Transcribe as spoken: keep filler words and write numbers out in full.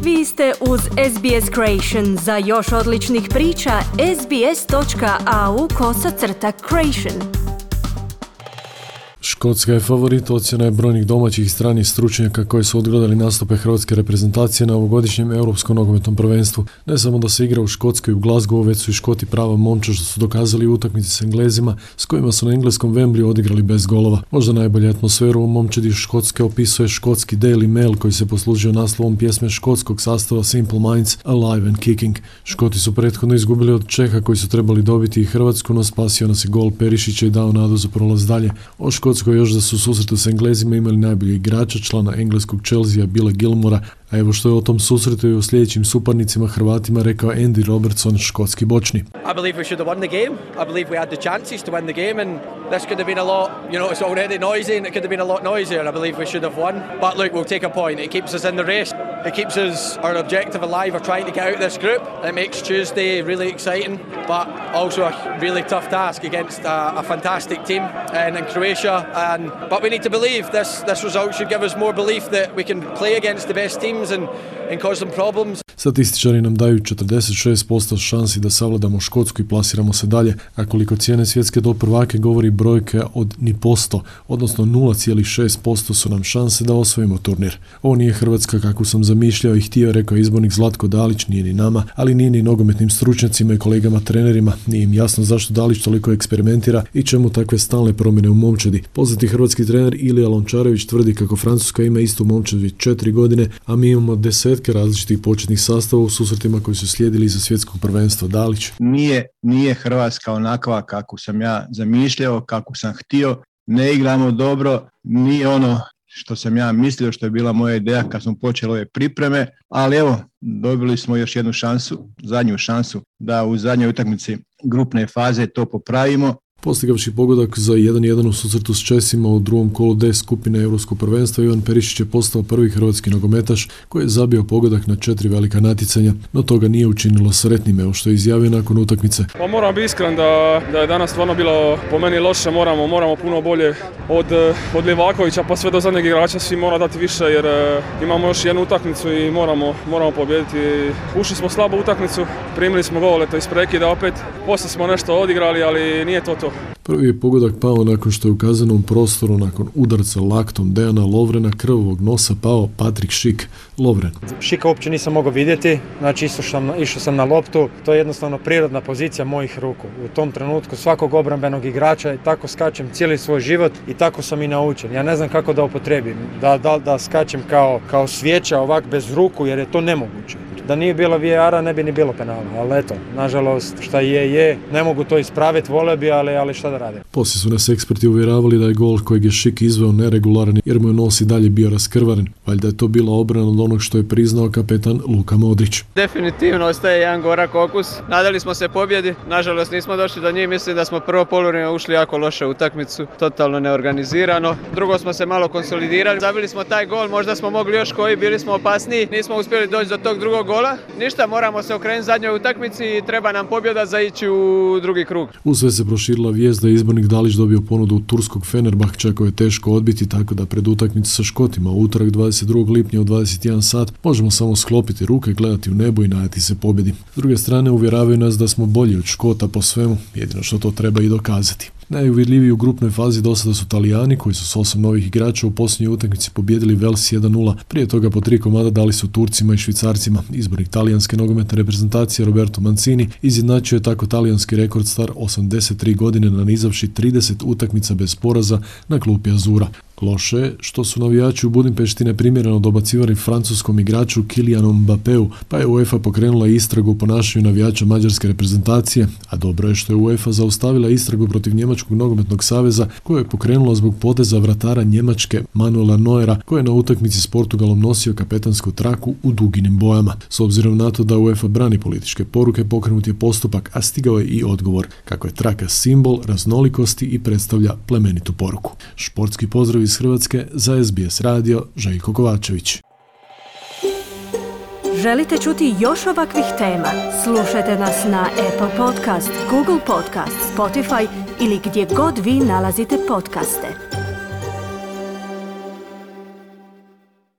Vi ste uz S B S Creation. Za još odličnih priča, sbs.au kosacrta creation. Škotska je favorit, ocjena je brojnih domaćih i stranih stručnjaka koji su odgledali nastupe hrvatske reprezentacije na ovogodišnjem europskom nogometnom prvenstvu. Ne samo da se igra u Škotskoj i u Glasgowu, već su i Škoti prava momčad što su dokazali u utakmici s Englezima, s kojima su na engleskom Wembleyu odigrali bez golova. Možda najbolju atmosferu u momčadi Škotske opisuje škotski Daily Mail koji se poslužio naslovom pjesme škotskog sastava Simple Minds Alive and Kicking. Škoti su prethodno izgubili od Čeha koji su trebali dobiti i Hrvatsku, no spasio nas je gol Perišića i dao nadu za prolaz dalje. O Škotskoj još da su u susretu s Englezima imali najboljeg igrača, člana engleskog Chelsea Billa Gilmora, a evo što je o tom susretu i o sljedećim suparnicima Hrvatima rekao Andy Robertson, škotski bočni. I believe we should have won the game. I believe we had the chances to win the game and this could have been a lot, you know, it's already noisy and it could have been a lot noisier. I believe we should have won. But look, we'll take a point. It keeps us in the race. It keeps us, our objective alive of trying to get out of this group. It makes Tuesday really exciting, but also a really tough task against a, a fantastic team and in Croatia. And but we need to believe this this result should give us more belief that we can play against the best teams and and cause them problems. Statističari nam daju četrdeset šest posto šansi da savladamo Škotsku i plasiramo se dalje, a koliko cijene svjetske do prvake govori brojke od ni posto, odnosno nula zarez šest posto su nam šanse da osvojimo turnir. Ovo nije Hrvatska kako sam zamišljao i htio, rekao izbornik Zlatko Dalić, nije ni nama, ali nije ni nogometnim stručnjacima i kolegama trenerima, nije im jasno zašto Dalić toliko eksperimentira i čemu takve stalne promjene u momčadi. Poznati hrvatski trener Ilija Lončarević tvrdi kako Francuska ima istu momčad već četiri godine, a mi imamo desetke različitih početnih sastava u susretima koji su slijedili iza svjetskog prvenstva. Dalić. Nije, nije Hrvatska onakva kako sam ja zamišljao, kako sam htio. Ne igramo dobro, nije ono što sam ja mislio, što je bila moja ideja kad smo počeli ove pripreme, ali evo, dobili smo još jednu šansu, zadnju šansu da u zadnjoj utakmici grupne faze to popravimo. Postigavši pogodak za jedan jedan u susretu s Česima u drugom kolu D skupine Europskog prvenstva, Ivan Perišić je postao prvi hrvatski nogometaš koji je zabio pogodak na četiri velika natjecanja, no toga nije učinilo sretnim, evo što je izjavio nakon utakmice. Pa moram biti iskren da, da je danas stvarno bilo po meni loše, moramo, moramo puno bolje od, od Livakovića pa sve do zadnjeg igrača, svi mora dati više jer uh, imamo još jednu utakmicu i moramo, moramo pobijediti. Ušli smo slabo u utakmicu, primili smo gol, eto iz prekida opet, poslije smo nešto odigrali, ali nije to to. Prvi je pogodak pao nakon što je u kaznenom prostoru nakon udarca laktom Dejana Lovrena krvavog nosa pao Patrik Šik. Lovren. Šika uopće nisam mogao vidjeti, znači išao sam, išao sam na loptu, to je jednostavno prirodna pozicija mojih ruku. U tom trenutku svakog obrambenog igrača i tako skačem cijeli svoj život i tako sam i naučen. Ja ne znam kako da upotrijebim, da, da, da skačem kao, kao svijeća ovak bez ruku jer je to nemoguće. Da nije bilo V A R-a ne bi ni bilo penala, ali eto, nažalost šta je je, ne mogu to ispraviti, vole bi, ali, ali šta da rade. Poslije su nas eksperti uvjeravali da je gol kojeg je Šik izveo neregularan jer mu je nos i dalje bio raskrvaren. Valjda je to bila obrana od onog što je priznao kapetan Luka Modrić. Definitivno ostaje jedan gorak okus. Nadali smo se pobjedi, nažalost nismo došli do njih, mislim da smo prvo poluvrijeme ušli jako loše u utakmicu, totalno neorganizirano. Drugo smo se malo konsolidirali, zabili smo taj gol, možda smo mogli još koji, bili smo opasniji, nismo uspjeli doći do tog drugog gola. Ništa, moramo se okrenuti zadnjoj utakmici i treba nam pobjeda za ići u drugi krug. U sve se proširila vijest da je izbornik Dalić dobio ponudu turskog Fenerbahča koje je teško odbiti, tako da pred utakmicu sa Škotima u utorak dvadeset drugog lipnja u dvadeset jedan sat možemo samo sklopiti ruke, gledati u nebo i nadati se pobjedi. S druge strane uvjeravaju nas da smo bolji od Škota po svemu, jedino što to treba i dokazati. Najuvjerljiviji u grupnoj fazi do sada su Talijani koji su s osam novih igrača u posljednjoj utakmici pobijedili Vels jedan nula. Prije toga po tri komada dali su Turcima i Švicarcima. Izbornik talijanske nogometne reprezentacije Roberto Mancini izjednačio je tako talijanski rekord star osamdeset tri godine nanizavši trideset utakmica bez poraza na klupi Azura. Loše je što su navijači u Budimpešti neprimjereno dobacivali francuskom igraču Kylianu Mbappeu, pa je UEFA pokrenula istragu o ponašanju navijača mađarske reprezentacije, a dobro je što je UEFA zaustavila istragu protiv Njemačkog nogometnog saveza koju je pokrenula zbog poteza vratara Njemačke Manuela Neuera koji je na utakmici s Portugalom nosio kapetansku traku u duginim bojama. S obzirom na to da UEFA brani političke poruke, pokrenut je postupak, a stigao je i odgovor kako je traka simbol raznolikosti i predstavlja plemenitu poruku. Športski pozdrav iz Hrvatske za S B S radio, Željko Kovačević. Želite čuti još ovakvih tema? Slušajte nas na Apple Podcast, Google Podcast, Spotify ili gdje god vi nalazite podcaste.